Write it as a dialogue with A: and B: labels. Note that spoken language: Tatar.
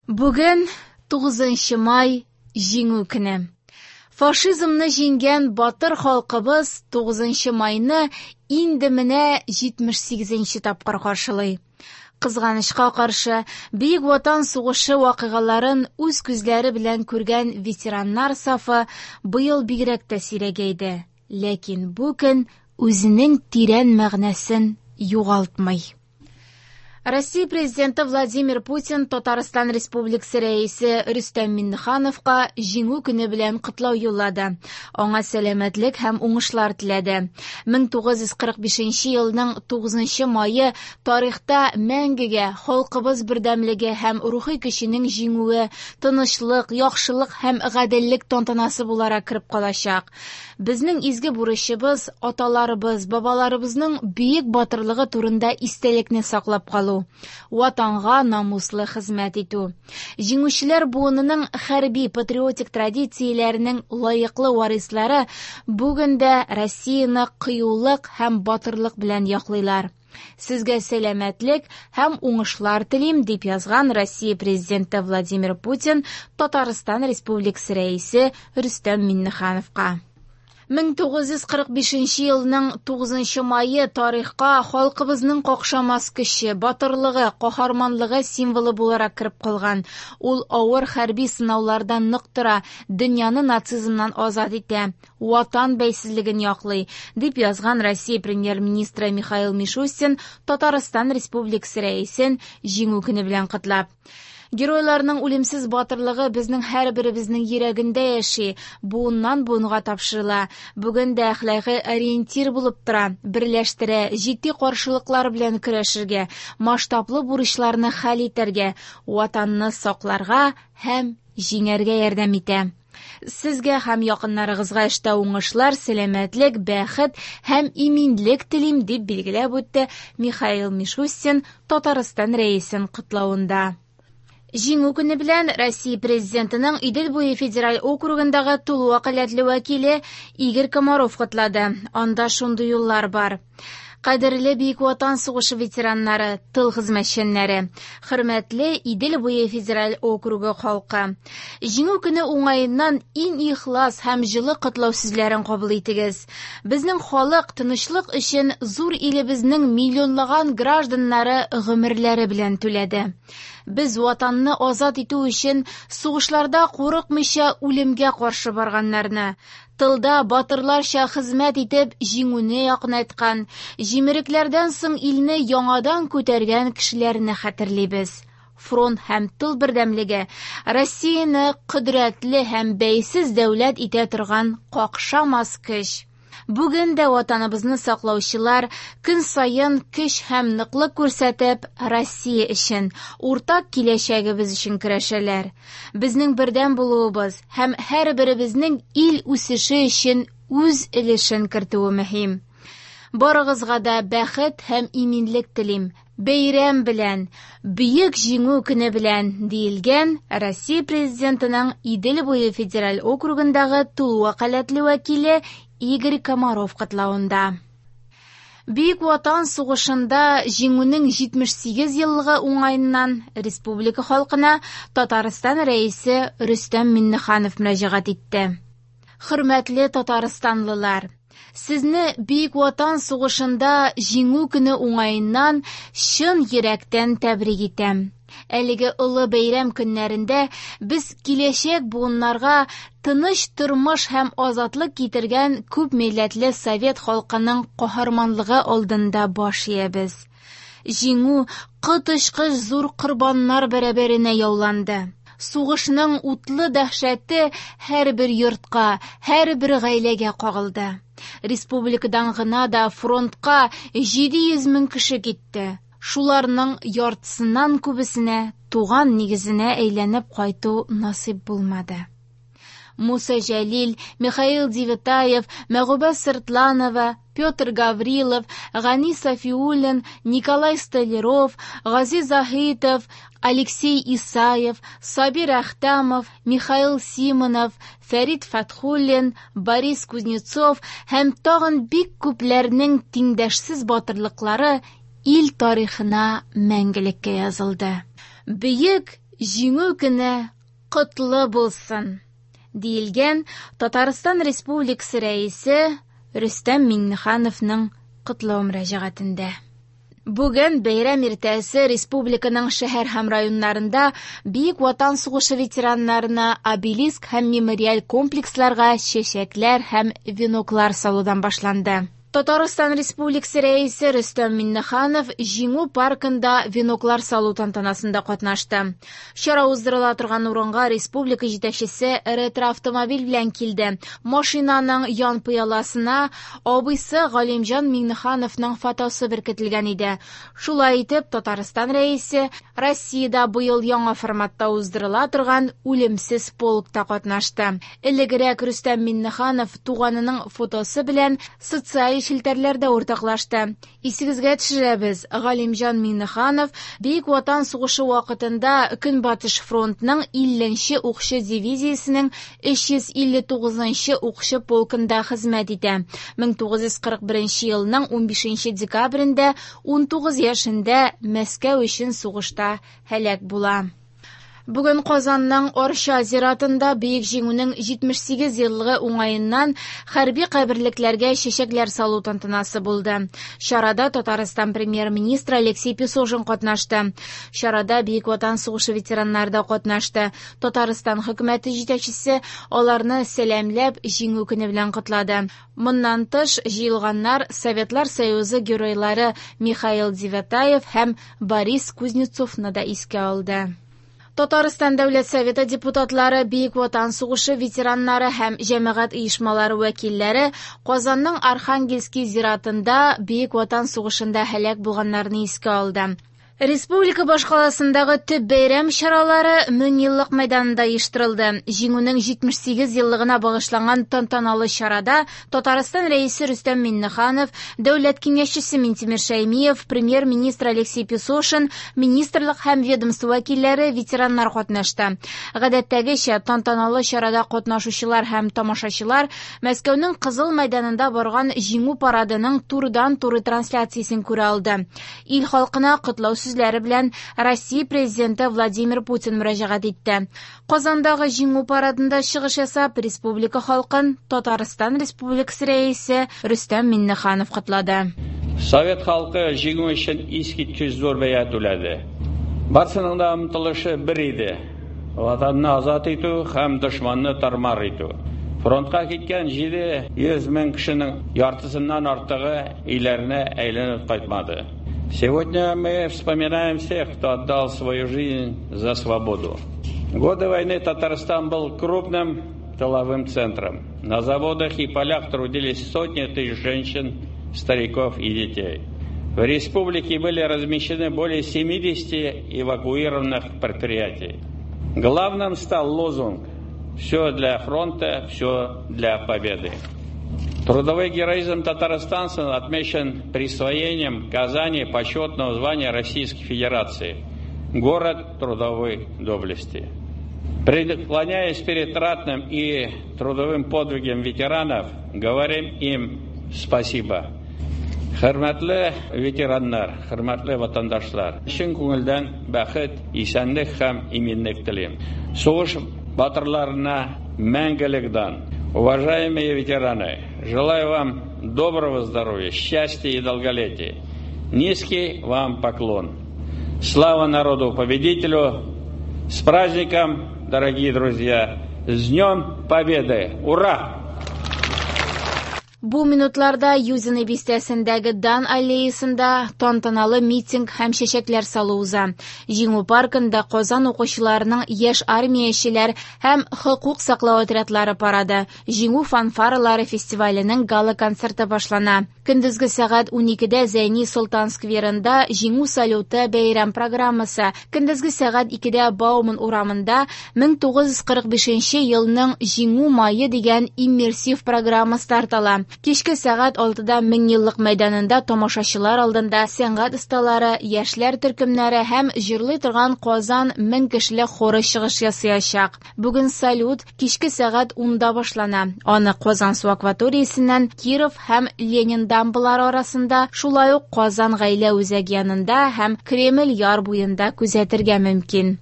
A: Бүген 9 май Җиңү көне. Фашизмны җиңгән батыр халкыбыз 9 майны инде менә 78 тапкыр каршылый. Кызганычка каршы, Бөек Ватан сугышы вакыйгаларын үз күзләре белән күргән ветераннар сафы быел бигрәк тә сирәгәйде. Ләкин бу көн үзенең тирән мәгънәсен югалтмый. Россия Президенты Владимир Путин Татарстан Республикасы Рәисе Рөстәм Миңнехановка Җиңү көне белән котлау юллады. Аңа сәламәтлек һәм уңышлар теләде. 1945 елның 9 мае тарихта мәңгегә халкыбыз бердәмлеге һәм рухи көченең җиңүе, тынычлык, яхшылык һәм гаделлек тантанасы буларак кереп калачак. Безнең изге бурычыбыз аталарыбыз, бабаларыбызның бөек батырлыгы турында истәлекне саклап калу, Ватанга намуслы хезмәт итү. Җиңүчеләр буынының хәрби патриотик традицияләренең лаеклы варислары бүген дә Россияне кыюлык һәм батырлык белән яклыйлар. Сезгә сәламәтлек һәм уңышлар телим, дип язган Россия Президенты Владимир Путин Татарстан Республикасы Рәисе Рөстәм Миңнехановка. 1945 елның 9 мае тарихка халкыбызның какшамас көче, батырлыгы, каһарманлыгы символы буларак кереп калган. Ул авыр хәрби сынаулардан нык тора, дөньяны нацизмнан азат итә. Ватан бәйсезлеген яклый, дип язган Россия премьер-министры Михаил Мишустин Татарстан Республикасы Рәисен Җиңү көне белән котлап. Геройларның үлемсез батырлыгы безнең һәрберебезнең йөрәгендә яши, буыннан буынга тапшырыла. Бүген дә әхлакый ориентир булып тора, берләштерә, җитди каршылыклар белән көрәшергә, масштаблы бурычларны хәл итәргә, Ватанны сакларга һәм җиңәргә ярдәм итә. Сезгә һәм якыннарыгызга эштә уңышлар, сәламәтлек, бәхет һәм иминлек телим, дип билгеләп үтте Михаил Мишустин Татарстан Рәисен котлавында. Җиңү көне белән Россия Президентының Идел буе федераль округындагы тулы вәкаләтле вәкиле Игорь Комаров котлады. Анда шундый юллар бар. Кадерле Бөек Ватан сугышы ветераннары, тыл хезмәтчәннәре, хөрмәтле Идел буе федераль округы халкы. Җиңү көне уңаеннан иң ихлас һәм җылы котлау сүзләрен кабул итегез. Безнең халык тынычлык өчен зур илебезнең миллионлаган гражданнары гомерләре белән түләде. Без Ватанны азат итү өчен сугышларда курыкмыйча үлемгә каршы барганнарны, тылда батырларча хезмәт итеп җиңүне якынайткан, җимерекләрдән соң илне яңадан күтәргән кешеләрне хәтерлибез. Фронт һәм тыл бердәмлеге Россияне кодрәтле һәм бәйсез дәүләт итә торган какшамас көч. Бүген дә Ватаныбызны саклаучылар көн саен көч һәм ныклык күрсәтеп, Россия өчен, уртак киләчәгебез өчен көрәшәләр. Безнең бердәм булуыбыз һәм һәрберебезнең ил үсеше өчен үз өлешен кертүе мөһим. Барыгызга да бәхет һәм иминлек телим. Бәйрәм белән, Бөек Җиңү көне белән, диелгән Россия Президентының Идел буе федераль округындагы тулы вәкаләтле вәкиле Игорь Комаров котлавында. Бөек Ватан сугышында Җиңүнең 78 еллыгы уңаеннан республика халкына Татарстан Рәисе Рөстәм Миңнеханов мөрәҗәгать итте. Хөрмәтле татарстанлылар! Сезне Бөек Ватан сугышында Җиңү көне уңаеннан чын йөрәктән тәбрик итәм. Әлеге олы бәйрәм көннәрендә без киләчәк буыннарга тыныч тормыш һәм азатлык китергән күп милләтле совет халкының каһарманлыгы алдында баш иябез. Җиңү коточкыч зур корбаннар бәрабәренә яуланды. Сугышның утлы дәһшәте һәрбер йортка, һәрбер гаиләгә кагылды. Республикадан гына да фронтка 700 мең кеше китте. Шуларның яртысыннан күбесенә туган нигезенә әйләнеп кайту насыйп булмады. Муса Җәлил, Михаил Девятаев, Мәгубә Сыртланова, Петр Гаврилов, Гани Сафиуллин, Николай Столяров, Гази Заһитов, Алексей Исаев, Сабир Әхтәмов, Михаил Симонов, Фәрит Фәтхуллин, Борис Кузнецов һәм тагын бик күпләрнең тиңдәшсез батырлыклары ил тарихына мәңгелеккә язылды. Бөек Җиңү көне котлы булсын! Диелгән Татарстан Республикасы Рәисе Рөстәм Миңнехановның котлау мөрәҗәгатендә. Бүген бәйрәм иртәсе республиканың шәһәр һәм районнарында Бөек Ватан сугышы ветераннарына обелиск һәм мемориаль комплексларга чәчәкләр һәм веноклар салудан башланды. Татарстан Республикасы Рәисе Рөстәм Миңнеханов Җиңү паркында веноклар салу тантанасында катнашты. Чара уздырыла торган урынга республика җитәкчесе ретро-автомобиль белән килде. Машинаның ян пыяласына абыйсы Галимҗан Миңнехановның фотосы беркетелгән иде. Шулай итеп, Татарстан Рәисе Россиядә быел яңа форматта уздырыла торган Үлемсез полкта катнашты. Элегрәк Рөстәм Миңнеханов туганының фотосы белән социаль челтәрләрдә уртаклашты. Исегезгә төшерәбез, Галимҗан Миңнеханов Бөек Ватан сугышы вакытында Көнбатыш фронтның 50 нче укчы дивизиясенең 359 нчы укчы полкында хезмәт итә. 1941 елның 15 декабрендә 19 яшендә Мәскәү өчен сугышта һәлак була. Бүген Казанның Арча зиратында Бөек Җиңүнең 78 еллыгы уңаеннан хәрби каберлекләргә чәчәкләр салу тантанасы булды. Чарада Татарстан премьер-министры Алексей Песошин катнашты. Чарада Бөек Ватан сугышы ветераннары да катнашты. Татарстан хөкүмәте җитәкчесе аларны сәламләп, Җиңү көне белән котлады. Моннан тыш, җыелганнар Советлар Союзы геройлары Михаил Девятаев һәм Борис Кузнецовны да искә алды. Татарстан Дәүләт Советы депутатлары, Бөек Ватан сугышы ветераннары һәм җәмәгать оешмалары вәкилләре Казанның Архангельский зиратында Бөек Ватан сугышында һәлак булганнарны искә алды. Республика башкаласындагы төп бәйрәм чаралары Меңьеллык мәйданында оештырылды. Җиңүнең 78 еллыгына багышланган тантаналы чарада Татарстан Рәисе Рөстәм Миңнеханов, Дәүләт Киңәшчесе Минтимер Шәймиев, Премьер-министр Алексей Песошин, министрлык һәм ведомство вәкилләре, ветераннар катнашты. Гадәттәгечә, тантаналы чарада катнашучылар һәм тамашачылар Мәскәүнең Кызыл мәйданында барган Җиңү парадының турыдан-туры трансляциясен күрә алды. Ил халкына котлау сүзләре белән Россия Президенты Владимир Путин мөрәҗәгать итте. Казандагы Җиңү парадында чыгыш ясап, республика халкын Татарстан Республикасы Рәисе Рөстәм Миңнеханов котлады.
B: Совет халкы җиңү өчен искиткеч зур бәя түләде. Барсының да омтылышы бер иде, Ватанны азат итү һәм дошманны тар-мар итү. Фронтка киткән 700 мең кешенең яртысыннан артыгы өйләренә әйләнеп кайтмады. Сегодня мы вспоминаем всех, кто отдал свою жизнь за свободу. Годы войны Татарстан был крупным тыловым центром. На заводах и полях трудились сотни тысяч женщин, стариков и детей. В республике были размещены более 70 эвакуированных предприятий. Главным стал лозунг «Все для фронта, все для победы». Трудовой героизм татарстанцев отмечен присвоением Казани почетного звания Российской Федерации «Город трудовой доблести». Преклоняясь перед ратным и трудовым подвигом ветеранов, говорим им спасибо. Хөрмәтле ветераннар, хөрмәтле ватандашлар, чын күңелдән бәхет, исәнлек һәм иминлек телим. Сугыш батырларына мәңгелек дан. Уважаемые ветераны, желаю вам доброго здоровья, счастья и долголетия. Низкий вам поклон. Слава народу-победителю! С праздником, дорогие друзья! С Днем Победы! Ура!
A: Бу минутларда Юзино бистәсендәге Дан аллеясында тантаналы митинг һәм чәчәкләр салу уза. Җиңү паркында Казан укучыларының яшь армиячеләр һәм хокук саклау отрядлары парады, Җиңү фанфаралары фестиваленең гала-концерты башлана. Көндезге сәгать 12дә Зәйни Солтан скверында Җиңү салюты бәйрәм программасы, көндезге сәгать 2дә Бауман урамында 1945 елның Җиңү мае дигән иммерсив программа старт ала. Кичке сәгать 6да Меңьеллык мәйданында тамашачылар алдында сәнгать осталары, яшьләр төркемнәре һәм җырлый торган Казан 1000 кешелек хоры чыгыш ясаячак. Бүген салют кичке сәгать 10да башлана. Аны Казансу акваториясеннән Киров һәм Ленин дамбалары арасында, шулай ук Казан гаилә үзәге янында һәм Кремль яр буенда күзәтергә мөмкин.